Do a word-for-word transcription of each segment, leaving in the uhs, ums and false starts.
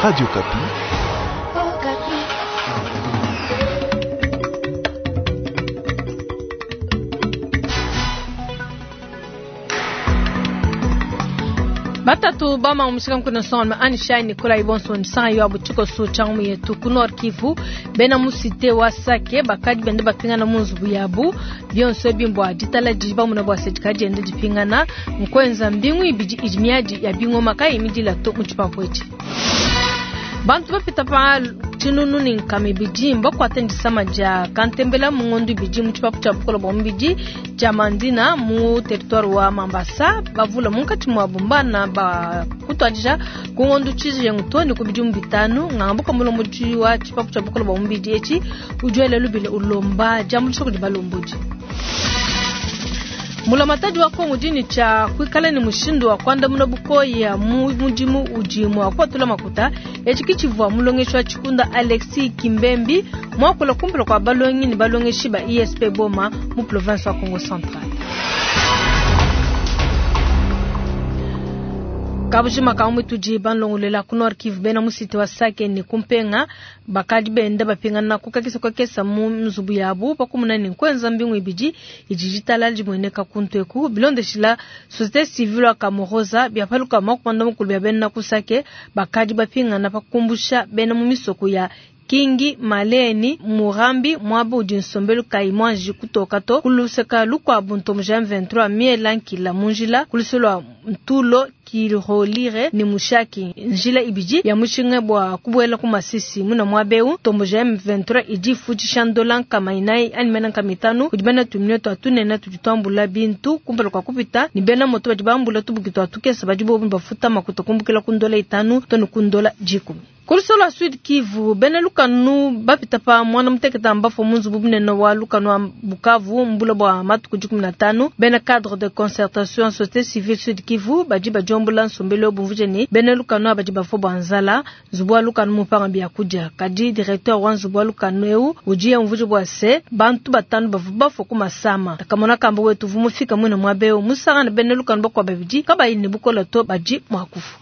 Radio Okapi. Batatu bama umushika mkuna sonma anishai Nikolai Bonso nsanga yo abuchiko so changu yetu ku Nord Kivu bena musite wa Sake bakadi bende bapingana mu nzubu yabu byonso bimbwa ditala diba muna bwa sedikaji ende dipingana nkwenza mbingu ibidi idimiadi ya bingoma kai imidila to muchipapwechi bantu bapita pa tshinunu ni nkama ibidi mbakuata ndisama dia kantembela mu ngondo ibidi mu tshipapu tshia bukola bua mubidi tshia mandina mu territoire wa mambasa bavula munkatshi muabu mbana bakutuadija ku ngondo tshijengu to ne ku bidimu bitanu ngambuka mulombodi wa tshipapu tshia bukola bua mubidi etshi udi wela lubila ulomba diambuluisha kudi balombodi. Mulamatadi wa Kongo dini cha kuikala ni mushindu wa kuandamuna bukoya mu mudimu udi mua kuatula makuta etshi kitshivua mulongeshi wa tshikunda Alexis Kimbembi muakula kumpala kua balongi ne balongeshi ba I S P Boma mu province wa Kongo Central. Kabujima kamwe tudi banlongolela ku Nord Kivu bena musite wa Sake ni kumpenga bakadi benda bapingana kukakisa kwakesa mu nzubu yabu pakumuna ni nkwenza mbingu ibidi idi ditala dimueneka kuntu bilondeshila société civile wa Kamoroza byapaluka makumanda mukulu bya bena ku Sake bakadi bapingana pakumbusha bena mu misoko ya Kingi Maleni Murambi mwaba udi nsombelu kayi mwanji kutoka to kuluseka lukwabu ntomo ja M vingt-trois miela nkila munjila kulusolwa ntulo kilolire ni mushaki njila ibidi ya mushinga bwa kubuela ku masisi muna mwabeu tombo ja M vingt-trois idi futisha ndola nkama inayi ani mena nkama itanu kudi bena tumine twa tunene tudi twambula bintu kumpala kwa kupita ni bena moto badi bambula tubuki twa tukesa badi bobu bafuta makuta kumbukila ku ndola itanu tonu ku ndola dikumi. Kulusolo Sud Kivu bena lukanu bapita pa mwana muteketa mbafo munzubu bunene wa lukanu wa Bukavu mbula bwa matuku dikumi na tanu bena cadre de concertation société civile Sud Kivu badi bajombula nsombelo bumvuje ni bena lukanu badi bafo bwa nzala nzubu wa lukanu mupanga bya kudia kadi directeur wa nzubu wa lukanu eu udi yamvuje bwa se bantu batanu bavu bafo ku masama takamona kamba wetu vumufika mwina mwabeo musangana bena lukanu bakwa babidi kabayi ne bukola to badi mwakufu.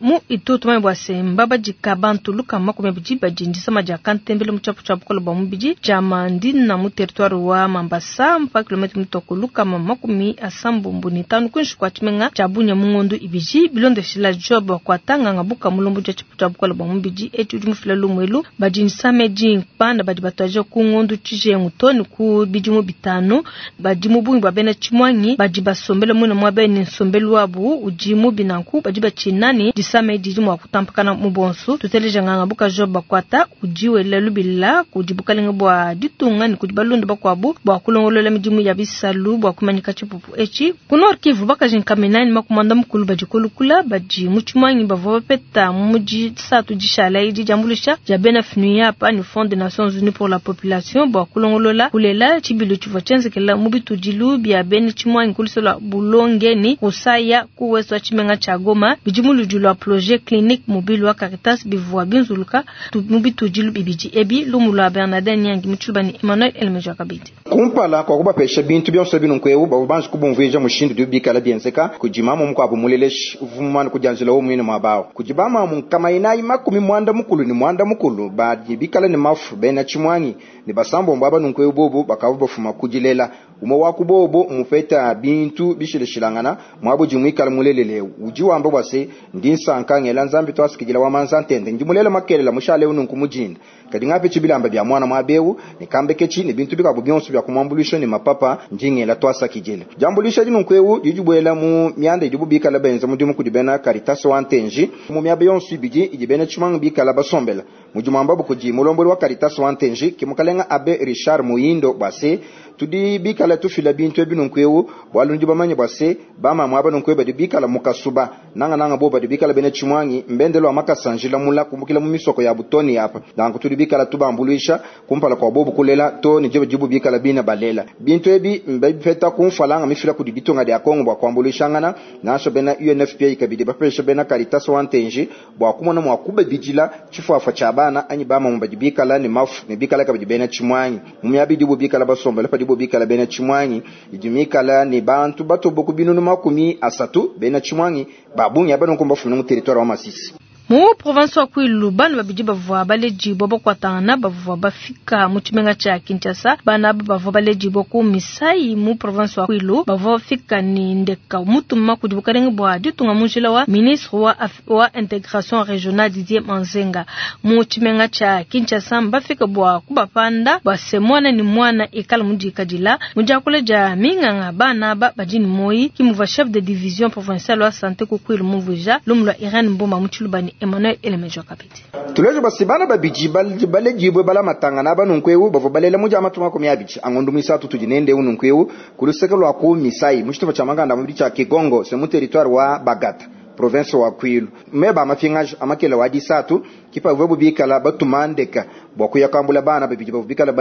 Mu itutu mai bwa semba badika bantu luka makumi abidi badi ndisama dia kantembele mu tshiapu tshia bukola bua mubidi tshia mandina mu territoire wa Mambasa mpa kilomètre mutoko lukama makumi asambombo ne tanu kuinshi kua tshimenga tshia Bunia mu ngondo ibidi bilondeshila Job kuatanganga buka mulombo dia tshiapu tshia bukola bua mubidi etshi udi mufila lumuelu badi ndisama edi bana badi batuadija ku ngondo tshijengu to ne ku bidimu bitanu badi mu bungi bua bena tshimwangi badi basombele mwina muaba ne nsombelu wabu udi mubi nanku badi batshinani disama didi mua kutampakana mu bonso tuteleja nganga buka Job bakwata udi wela lubila kudi bukalenga bua ditunga ne kudi balundu bakuabu bua kulongolola midimu ya bisalu bua kumanyika tshipupu etshi ku Nord Kivu bakaji nkamenani makumanda mukulu badi kulukula badi mu tshimwangi bavua bapeta mu disatu dishala idi diambuluisha dia bena FNUAP ni Fonds des Nations Unies pour la population bua kulongolola kulela tshibilu tshivua tshienzekela mu bitudilu bia bena tshimwangi kulisola bulongeni kusaya ku ouest wa tshimenga tshia Goma bidi mu ludi lua projet clinique mobile wa Caritas bivua binzuluka mu bitudilu bibidi ebi lumu lua Bernardin Nyangi mu tshiluba ni Emmanuel Elmeja kabidi. Kumpala kwa kubapesha bintu byonso binunku bavua banji kubumvuija mushindu udi bikala bienzeka kudi mamu mukuabu muleleshi uvumana kudianjila wo muine muabawo kudi bamamu nkama inayi makumi mwanda mukulu ni mwanda mukulu badi bikala ne mafu bena tshimwangi ne basambombo aba nunku bobu bakavua bafuma kudilela umwe wa kubobo mupeta bintu bishileshilangana mwabo jimwikala mulelele udi wamba bwase ndi nsanka ngela nzambi twasikijila wa manza ntende ndi mulela makelela mushale ununku mujinda kadi ngape chibilamba bya mwana mwabewu ne kambekechi ne bintu bikabo byonso bya kumwambulisha ne mapapa ndi ngela twasakijila jambulisha dinunku ewu didibwela mu myanda idibu bikala benza mudimu kudi bena Caritas wa ntenji mu myaba yonso ibidi idi bena tshimanga bikala basombela mudimu kudi mulomboli wa Caritas wa ntenji kimukalenga abe Richard Muyindo bwase tudi bikala tufila bintu ebi nunku ewu bwalu ndi bamanye bwase bamamwe aba nunku ewu badi bikala mukasuba nanga nanga bo badi bikala bena tshimwangi mbendelo wa makasanjila mula kumbukila mu misoko ya butoni apa nanku tudi bikala tubambuluisha kumpala kwa bobu kulela to ni jibu jibu bikala bina balela bintu ebi mbipeta kumfalanga mifila kudi ditunga dia Kongo bwa kuambuluishangana nasho bena U N F P A kabidi bapesha bena Caritas wa ntenji bwa kumona mwa kubabidila tshifuafa tshia bana. bana anyi bamamu badi bikala ne mafu ne bikala kabidi bena tshimuangi mu miaba idibo bikala basombela padibo bikala bena tshimuangi idi mikala ne bantu batobo ku binunu makumi asatu bena tshimuangi ba bungi aba nunku mbafumina mu territoire wa Masisi. Mu province wa Kwilu bana babidi bavua baledibua bakuatangana bavua bafika mu tshimenga tshia Kinshasa. Bana aba bavua baledibua ku Misai mu province wa Kwilu bavua bafika ne ndeka mutuma kudi bukalenge bua ditunga mu njila wa ministre wa, wa intégration régionale Didier Manzenga mu tshimenga tshia Kinshasa. Mbafika bua kubapanda bua se mwana ni mwana ikala mudikadila mu diakula dia minganga bana aba badi ne moyi kimuvua chef de division provinciale wa santé ku Kwilu mumvuija lumu lua Irene Mboma mu Tshilubani Emmanuel Elemejo Kapiti. Tulejo basi bana babidi baledibwe balamatangana banunku eu bavua balela mu dia matuma makumi abidi angondo misatu tudi nende ununku eu ku luseke lua ku Misai mu tshitupa tshia makanda mubidi tshia Kigongo se mu territoire wa Bagata province wa Kwilu meba mapingaji amakela wa disatu kipa vuebu bikala batumandeka bua kuya kambula bana babidi bavua bikala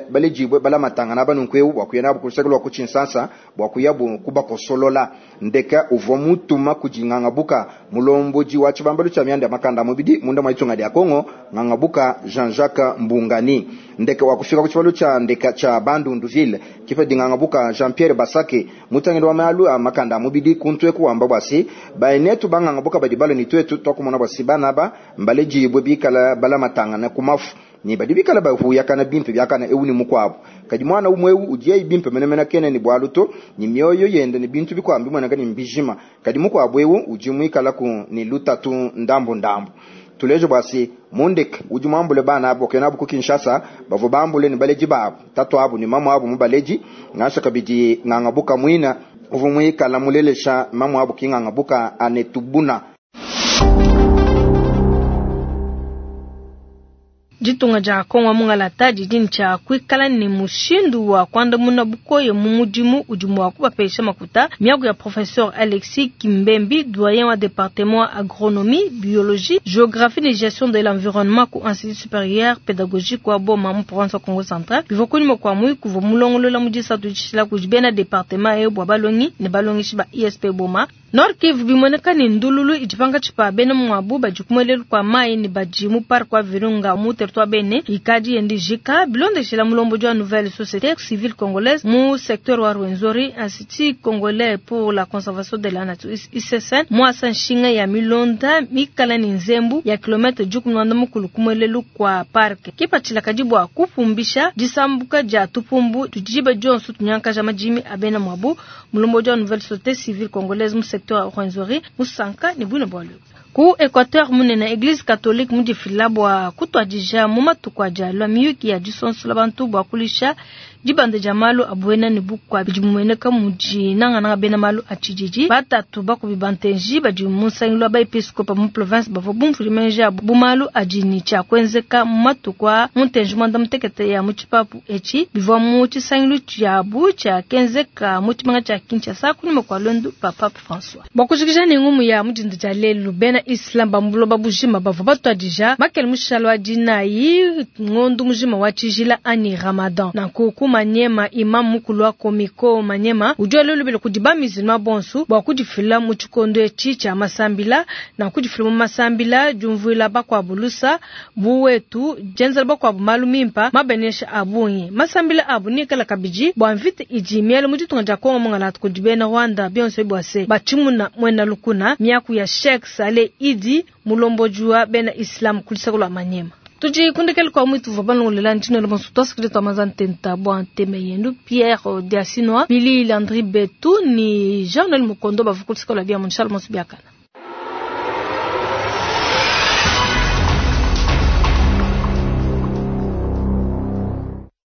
baledibwe balamatangana banunku eu bua kuya nabo ku luseke lua ku Tshinsansa bua kuya bu kubakosolola ndeka uvua mutuma kudi ngangabuka mulombodi wa tshibambalu tshia mianda ya makanda mubidi munda mwa itunga dia Kongo ngangabuka Jean-Jacques Mbungani ndeka wa kufika ku tshibalu tshia ndeka tshia Bandundu ville kipa dingangabuka Jean-Pierre Basake mutangidi wa malu a makanda mubidi kuntwe kuwamba bwasi baenetu bangangabuka badi balo ni twetu twakumona bwasi bana ba mbaledibwe bikala balamatangana kumafu ni badi bikala bahuyakana bimpe byakana ewu ni mukwabo kadi mwana umwe ewu udiye bimpe menemene kene ni bwalu to ni mioyo yende ni bintu bikwambi mwana kani mbijima kadi mukwabo ewu udi mwikala ku ni lutatu ndambu ndambu tulejo basi mundek udi mwambule bana abo kena abo ku Kinshasa bavo bambule ni baleji babo tatu abo ni mamu abo mubaleji ngasha kabidi ngangabuka mwina uvu mwikala mulelesha mamu abo kingangabuka anetubuna. Ditunga dia Kongo mungalata didi tshia kuikala ne mushindu wa kuandamuna bukoye mu mudimu udi mua kubapesha makuta. Miaku ya professeur Alexis Kimbembi, doyen wa département agronomie, biologie, géographie et gestion de l'environnement ku Institut supérieur pédagogique wa Boma mu province wa Kongo Central. Bivua kunyima kua muyuki uvua mulongolola mu disatu ditshila kudi bena département eyo bua balongi ne balongeshi ba I S P Boma. Nord Kivu bimoneka ne ndululu idi pankatshi pa bena muabu badi kumuelelu kua mayi ne badi mu parc wa Virunga mu territoire Bene ikadi yendi jika bilondeshela mulombo wa nouvelle société civile congolaise mu secteur wa Rwenzori Institut congolais pour la conservation de la nature I C S N mwasa nshinga ya milonda mikala ni nzembu ya kilomètre juku mwanda mukulu kumuelelu kwa parc kipatshila kadi bua kupumbisha disambuka dia tupumbu tujiba dionso tunyankaja majimi abena muabu mulombo wa nouvelle société civile congolaise mu secteur Rwenzori musanka ne bwino bwalu ku Equateur munene église catholique mudifila bwa kutwadija mu matuku aja miyuki ya disonsola bantu bwa kulisha dibanda dia malu abuena ne bukwa bidi bimueneka mudi nangananga bena malu atshididi batatu bakubi bantenji badi mu nsangilu wa baepiskopa mu province bavua bumvuli menji abu bu malu adi ne tshia kuenzeka mu matuku a muntenji muanda mutekete ya mu tshipapu etshi bivua mu tshisangilu tshiabu tshia kenzeka mu tshimenga tshia Kinshasa kunyima kua luendu pa Pape François. Bua kujikija ne ngumu ya mudinda dia lelu bena Islam ba mu buloba bujima bavua batuadija makele mushalo wa dinayi ngondu mujima wa tshijila ani Ramadan nanku ku Manyema imam mukulu wa Komiko Manyema udi walolobela kudi ba musulman bonso bua kudifila mu tshikondo etshi tshia masambila na kudifila mu masambila diumvuila bakuabu lusa buwetu dienzela bakuabu malu mimpa mabenesha abungi masambila abu nikala kabidi bua mvita idi miele mu ditunga dia Kongo mungalatu kudi bena Rwanda bionso bua se batshimuna muena lukuna miaku ya Sheikh Saleh Idi mulomboji wa bena Islam kulisaka lwa Manyema. Tudi kundekele kwa mwitu vwa balongolela ntino le bonso twasukile twamaza ntenta bwa nteme yendu Pierre Diasinoa Billy Landry Betu ni Jean-Noël Mukondo bavukulisaka lwa bia munshala monso biakana.